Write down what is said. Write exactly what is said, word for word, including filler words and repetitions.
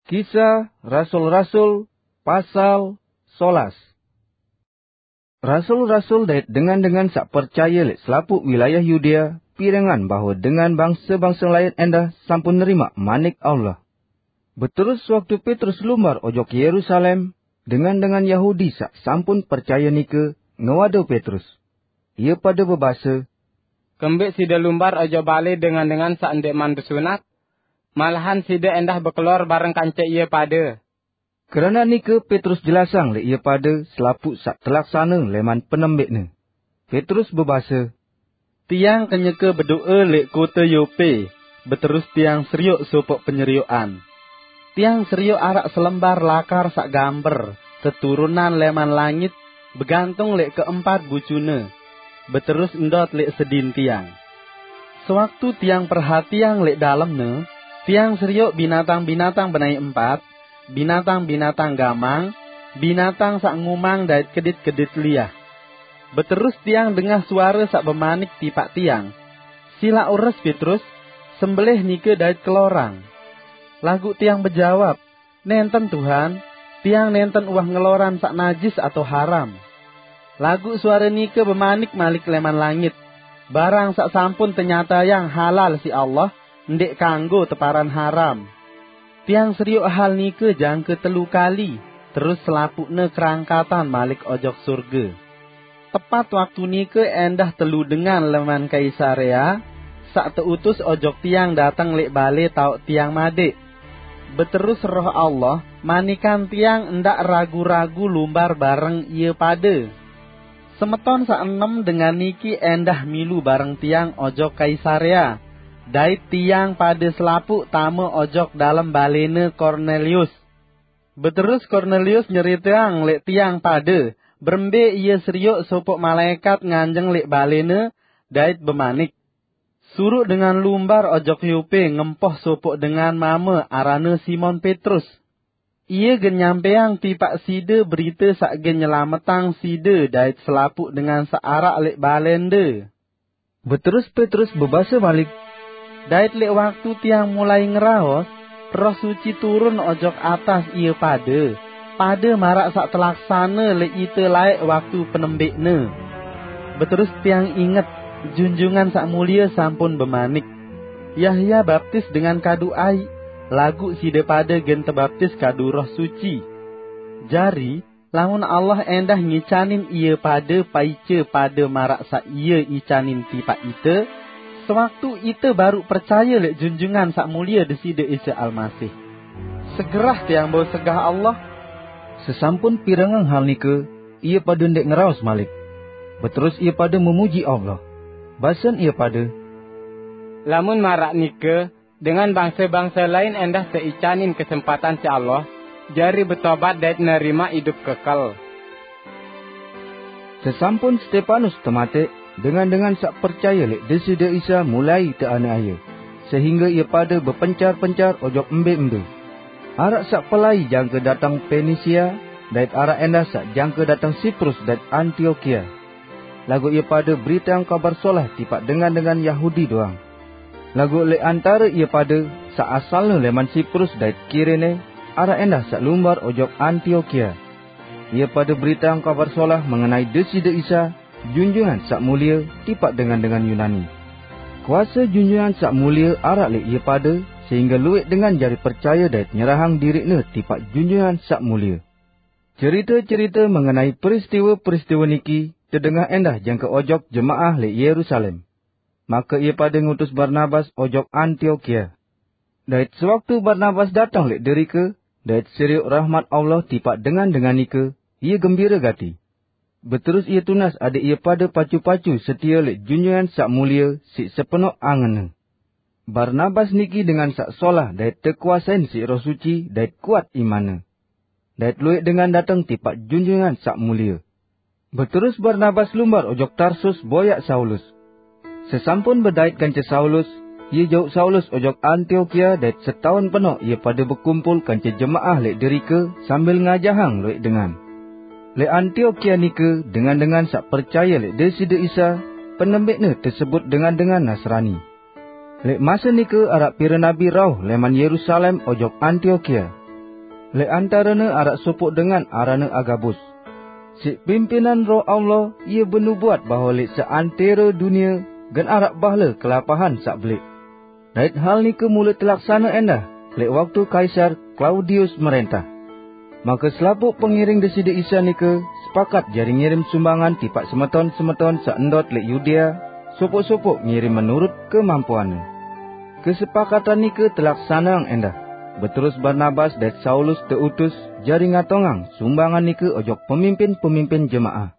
Kisah Rasul-Rasul, pasal solas. Rasul-rasul dait dengan-dengan sak percaya lek selapuq wilayah Yudea pirengan bahwa dengan bangsa-bangsa lain endah sampun nerimaq manik Allah. Beterus waktu Petrus lumbar ojok Yerusalem, dengan-dengan Yahudi sak sampun percaya nike ngewado Petrus. Ie pade bebase, "Kembeq side lumbar ojok bale dengan-dengan sak ndeqman besunat? Malahan side endah bekelor bareng kance ie pade." Kerana nike Petrus jelasang lek ie pade selapuq sak telaksana leman penembeqne. Petrus bebase, "Tiang kenyeke bedoe lek kote Yope, beterus tiang serioq sopoq penyerioqan. Tiang serioq araq selembar lakar sak gamber teturunan leman langit, begantung lek keempat bucune, beterus ndot lek sedin tiang. Sewaktu tiang perhatiang lek dalemne, tiang serioq binatang-binatang benai empat, binatang-binatang gamang, binatang sak ngumang dait kedit-kedit liah. Beterus tiang dengah suare sak bemanik tipaq tiang, 'Silaq ures, Petrus, sembelih nike dait kelorang.' Laguq tiang bejawab, 'Nenten, Tuhan, tiang nenten uwah ngeloran sak najis atau haram.' Laguq suare nike bemanik malik leman langit, 'Barang sak sampun tenyatayang halal siq Allah, ndeq kanggo teparan haram.' Tiang serioq hal nike jangke telu kali, terus selapuqne kerangkatan malik ojok surge. Tepat waktu nike endah telu dengan leman Kaisarea, sak teutus ojok tiang dateng lek bale taoq tiang madeq. Beterus Roh Allah manikan tiang ndaq ragu-ragu lumbar bareng ie pade. Semeton sak enem dengan niki endah milu bareng tiang ojok Kaisarea, dait tiang pade selapuq tame ojok dalem balene Kornelius. Beterus Kornelius nyeriteang lek tiang pade berembe ie serioq sopoq malaekat nganjeng lek balene dait bemanik, 'Suruq dengan lumbar ojok Yope ngempoh sopoq dengan mame arane Simon Petrus. Ie gen nyampeang tipaq side berite saq gen nyelametang side dait selapuq dengan saq araq lek balende.' Beterus Petrus bebase malik, 'Dait lek waktu tiang mulai ngeraos, Roh Suci turun ojok atas ie pade, pade maraq saq telaksane lek ite laeq waktu penembekne. Beterus tiang inget, Junjungan Saq Mulie sampun bemanik, 'Yahya baptis dengan kadu aiq, laguq side pade gen tebaptis kadu Roh Suci.' Jari, lamun Allah endah ngicanin ie pade paice pade maraq saq ie icanin tipaq ite, sewaktu ite baruq percaye lek Junjungan Saq Mulie Deside Isa Almasih. Segerah tiang bau segah Allah." Sesampun pirengang hal nike, ie pade ndeq ngeraos malik. Beterus ie pade memuji Allah. Basen ie pade, "Lamun maraq nike, dengan bangse-bangse lain endah teicanin kesempatan siq Allah, jari betobat dait nerimaq idup kekel." Sesampun Stepanus temateq, dengan-dengan saq percaye lek Deside Isa mulai teaniaye, sehingge ie pade bepencar-pencar ojok embe-embe. Araq saq pelai jangke dateng Penisia, dait araq endah saq jangke dateng Siprus dait Antiokia. Laguq ie pade beriteang Kabar Solah tipaq dengan-dengan Yahudi doang. Laguq lek antare ie pade, saq asalne leman Siprus dait Kirene, araq endah saq lumbar ojok Antiokia. Ie pade beriteang Kabar Solah mengenai Deside Isa, Junjungan Saq Mulie, tipaq dengan-dengan Yunani. Kuase Junjungan Saq Mulie araq lek ie pade, sehingge lueq dengan jari percaye dait nyerahang diriqne tipaq Junjungan Saq Mulie. Cerite-cerite mengenai peristiwe-peristiwe niki tedengah endah jangke ojok jemaah lek Yerusalem. Make ie pade ngutus Barnabas ojok Antiokia. Dait sewaktu Barnabas dateng lek derike, dait serioq rahmat Allah tipaq dengan-dengan nike, ie gembire gati. Beterus ie tunas adeq ie pade pacu-pacu setie lek Junjungan Saq Mulie siq sepenoq angenne. Barnabas niki dengan saq solah dait tekuasein siq Roh Suci dait kuat imanne. Dait lueq dengan dateng tipaq Junjungan Saq Mulie. Beterus Barnabas lumbar ojok Tarsus boyaq Saulus. Sesampun bedait kance Saulus, ie jauq Saulus ojok Antiokia dait setaun penoq ie pade bekumpul kance jemaah leq derike sambil ngajahang lueq dengan. Leq Antiokia nike dengan-dengan saq percaye leq Deside Isa, penembekne tesebut dengan-dengan Nasrani. Leq mase nike araq pire nabi rauh leman Yerusalem ojok Antiokia. Lẽq antarene araq sopoq dengan aranne Agabus. Siq pimpinan Roh Allah, ie benubuat bahwe lẽq seantero dunie gen araq bahle kelapahan saq belẽq. Dait hal nike mule telaksane ẽndah lẽq waktu Kaisar Klaudius merẽntah. Make selapuq pengiring Deside Isa nike sepakat jari ngirim sumbangan tipaq semeton-semeton saq ndot lẽq Yudea, sopoq-sopoq ngirim menurut kemampuanne. Kesepakatan nike telaksaneang ẽndah, beterus Barnabas dait Saulus teutus jari ngatongang sumbangan nike ojok pemimpin-pemimpin jemaah.